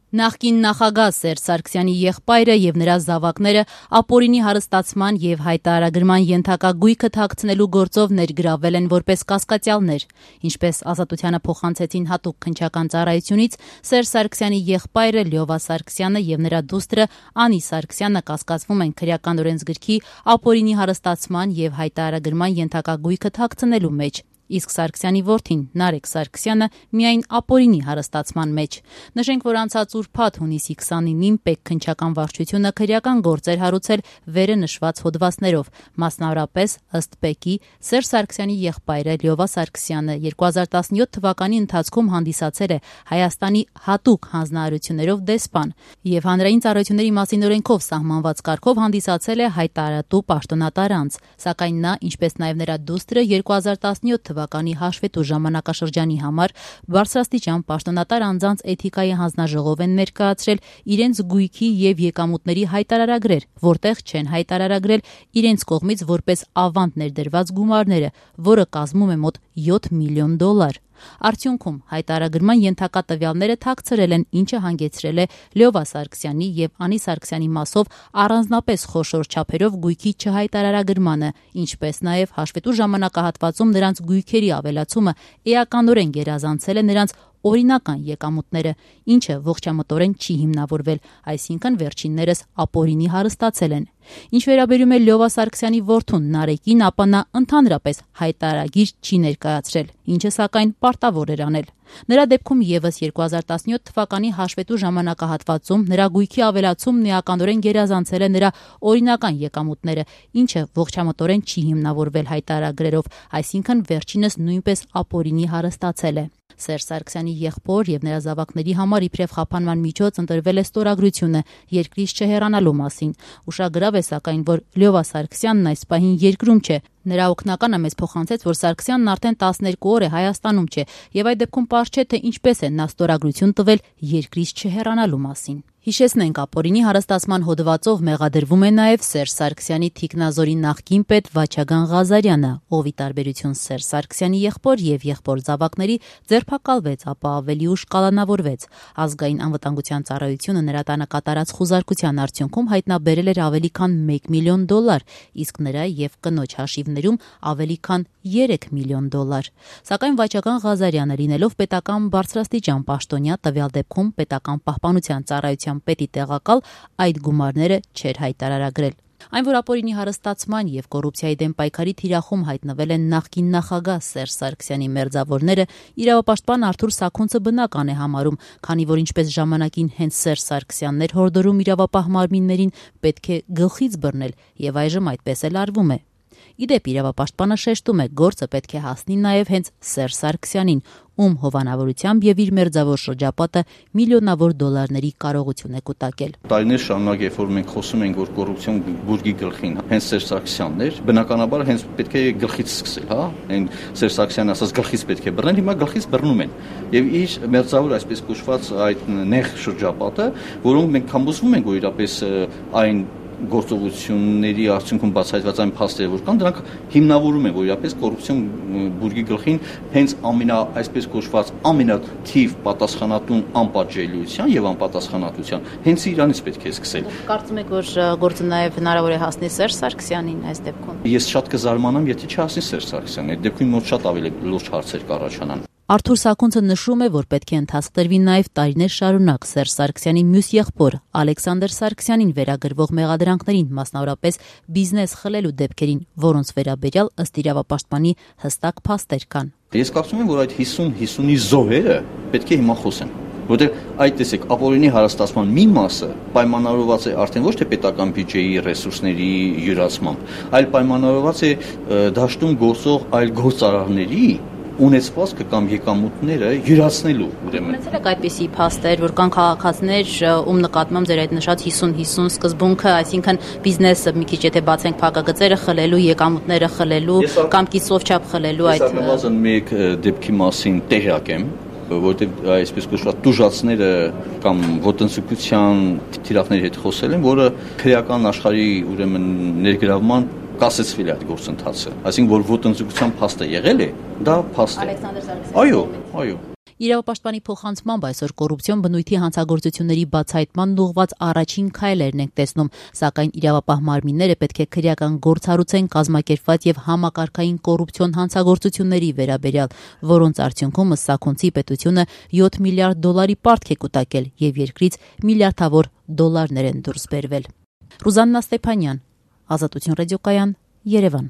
Նախկին նախագահ Սերժ Սարգսյանի եղբայրը եւ նրա զավակները ապօրինի հարստացման եւ հայտարարագրման ենթակա գույքը թաքցնելու գործով ներգրավվել են որպես կասկածյալներ, ինչպես Ազատությանը փոխանցեցին հատուկ քննչական ծառայությունից, Սերժ Սարգսյանի եղբայրը Լյովա Սարգսյանը եւ նրա դուստրը Անի Սարգսյանը կասկածվում են քրեական օրենսգրքի ապօրինի հարստացման եւ հայտարարագրման ենթակա գույքը թաքցնելու մեջ, իսկ Սարգսյանի որդին Նարեկ Սարգսյանը միայն ապօրինի հարստացման մեջ։ Նշենք, որ անցած ուրբաթ հունիսի 29-ին Պեկ քննչական վարչությունը քրեական գործեր հարուցել վերը նշված հոդվածներով, մասնավորապես ըստ Պեկի Սերժ Սարգսյանի եղբայրը Լյովա Սարգսյանը 2017 թվականի ընթացքում հանդիսացել է Հայաստանի հատուկ հանձնարարություններով դեսպան եւ հանրային ծառայությունների մասին օրենքով սահմանված կարգով հանդիսացել է հայտարարատու պաշտոնատար անձ, սակայն նա, ինչպես նաեւ նրա դուստրը 2017 թվականի հաշվետու ժամանակաշրջանի համար բարձրաստիճան պաշտոնատար անձանց էթիկայի հանձնաժողով են ներկայացրել իրենց գույքի եւ եկամուտների հայտարարագրեր, որտեղ չեն հայտարարագրել իրենց կողմից որպես ավանդ ներդրված գումարները, որը կազմում է մոտ $7 միլիոն։ Արդյունքում հայտարարագրման ենթակա տվյալները թաքցրել են, ինչը հանգեցրել է Լյովա Սարգսյանի եւ Անի Սարգսյանի մասով առանձնապես խոշոր չափերով գույքի չհայտարարագրմանը, ինչպես նաեւ հաշվետու ժամանակահատվածում նրանց գույքերի ավելացումը էականորեն գերազանցել է նրանց օրինական եկամուտները, ինչը ողջամտորեն չի հիմնավորվել, այսինքն վերջիններս ապօրինի հարստացել են։ Ինչ վերաբերում է Լյովա Սարգսյանի որդուն Նարեկին, ապա նա ընդհանրապես հայտարարագիր չի ներկայացրել, ինչը սակայն պարտավոր էր անել։ Նրա դեպքում եւս 2017 թվականի հաշվետու ժամանակահատվածում նրա գույքի ավելացումն էականորեն գերազանցել է նրա օրինական եկամուտները, ինչը ողջամտորեն չի հիմնավորվել հայտարարագրերով, այսինքն վերջինս նույնպես ապօրինի հարստացել է։ Սերժ Սարգսյանի եղբոր եւ նրա զավակների համար իբրև խափանման միջոց ընտրվել է ստորագրությունը երկրից չհեռանալու մասին։ Ուշագրավ է սակայն, որ Լյովա Սարգսյանն այս պահին երկրում չէ։ Նրա օգնականը մեզ փոխանցեց, որ Սարգսյանն արդեն 12 օր է Հայաստանում չէ եւ այդ դեպքում պարզ չէ, թե ինչպես է նա ստորագրություն տվել երկրից չհեռանալու մասին։ Հիշեցնենք, ապօրինի հարստացման հոդվածով մեղադրվում է նաև Սերժ Սարգսյանի թիկնազորի նախկին պետ Վաչագան Ղազարյանը, ով ի տարբերություն Սերժ Սարգսյանի եղբոր եւ եղբոր զավակների ձերբակալվեց, ապա ավելի ուշ կալանավորվեց։ Ազգային անվտանգության ծառայությունը նրա տանը կատարած խուզարկության արդյունքում հայտնաբերել էր ավելի քան $1 միլիոն, իսկ նրա եւ կնոջ հաշիվներում ավելի քան $3 միլիոն։ Սակայն Վաչագան Ղազարյանը, լինելով պետական բարձրաստիճան պաշտոնյա, տվյալ դեպքում պետական պահպանության ծառայության պետի տեղակալ, այդ գումարները չէր հայտարարագրել։ Այն, որ ապօրինի հարստացման եւ կոռուպցիայի դեմ պայքարի թիրախում հայտնվել են նախկին նախագահ Սերժ Սարգսյանի մերձավորները, իրավապաշտպան Արթուր Սաքունցը բնական է համարում, քանի որ ինչպես ժամանակին հենց Սերժ Սարգսյանն էր հորդորում իրավապահ մարմիններին պետք է գլխից բռնել, եւ այժմ այդպես էլ արվում է։ Իդեպ իրավապաշտպանը շեշտում է, գործը պետք է հասնի նաև հենց Սերժ Սարգսյանին, ում հովանավորությամբ եւ իր մերձավոր շրջապատը միլիոնավոր դոլարների կարողություն է կուտակել։ Տարիներ շարունակ, երբ որ մենք խոսում ենք, որ կոռուպցիոն բուրգի գլխին հենց Սերժ Սարգսյանն էր, բնականաբար հենց պետք է գլխից սկսել, հա, այն Սերժ Սարգսյանը ասած գլխից պետք է բռնել, հիմա գլխից բռնում են։ Եվ իր մերձավոր այսպես կոչված այդ նեղ շրջապատը, որոնք մենք համոզվում ենք, որ իրապես այն գործողությունների արդյունքում բացահայտված այն փաստերը, որ կան, դրանք հիմնավորում են, որ իրապես կոռուպցիոն բուրգի գլխին հենց այսպես կոչված ամենաթիվ պատասխանատուն անպատժելիության եւ անպատասխանատվության հենց իրանից պետք է սկսել։ Կարծում եք, որ գործը նաեւ հնարավոր է հասնի Սերժ Սարգսյանին այս դեպքում։ Ես շատ կզարմանամ, եթե չհասնի Սերժ Սարգսյանին։ Այդ դեպքում մոտ շատ ավելի լուրջ հարցեր կառաջանան։ Արթուր Սաքունցը նշում է, որ պետք է ընթացք տրվի նաև տարիներ շարունակ Սերժ Սարգսյանի մյուս եղբոր Ալեքսանդր Սարգսյանին վերագրվող մեղադրանքներին, մասնավորապես բիզնես խլելու դեպքերին, որոնց վերաբերյալ ըստ իրավապաշտպանի հստակ փաստեր կան։ Ես կարծում եմ, որ այդ 50-50-ի զոհերը պետք է հիմա խոսեն, որտեղ այդ տեսեք ապօրինի հարստացման մի մասը պայմանավորված է արդեն ոչ թե պետական բյուջեի ռեսուրսների յուրացմամբ, այլ պայմանավորված է դաշտում գործող այլ գործարարների ունեցվածքը կամ եկամուտները յուրացնելու, ուրեմն։ Ունեցել եք այդպիսի փաստեր, որ կան քաղաքացիներ, ում նկատմամբ ձեր այդ նշած 50-50 սկզբունքը, այսինքն բիզնեսը մի քիչ եթե բացենք փակագծերը խլելու, եկամուտները խլելու կամ կիսով չափ խլելու այդ նվազն մեկ դեպքի մասին տեղյակ եմ, որտեղ այսպես կոչված տուժածները կամ ոտնձգության թիրախների հետ խոսել են, որը քրեական աշխարհի ուրեմն ներգրավման կասեցվել է այդ գործընթացը, այսինքն որ ոտնձգության փաստը եղել է, դա փաստ է։ Ալեքսանդր Սարգսյանը։ Այո։ Իրավապաշտպանի փոխանցմամբ այսօր կոռուպցիոն բնույթի հանցագործությունների բացահայտման ուղղված առաջին քայլերն ենք տեսնում, սակայն իրավապահ մարմինները պետք է քրեական գործառույթեն կազմակերպված եւ համակարգային կոռուպցիոն հանցագործությունների վերաբերյալ, որոնց արդյունքում Սաքունցի պետությունը 7 միլիարդ դոլարի պարտք է կուտակել եւ երկրից միլիարդավոր դոլարներ են դուրս բերվել։ Ռուզաննա Ստեփանյան, Ազատություն ռադիոկայան, Երևան։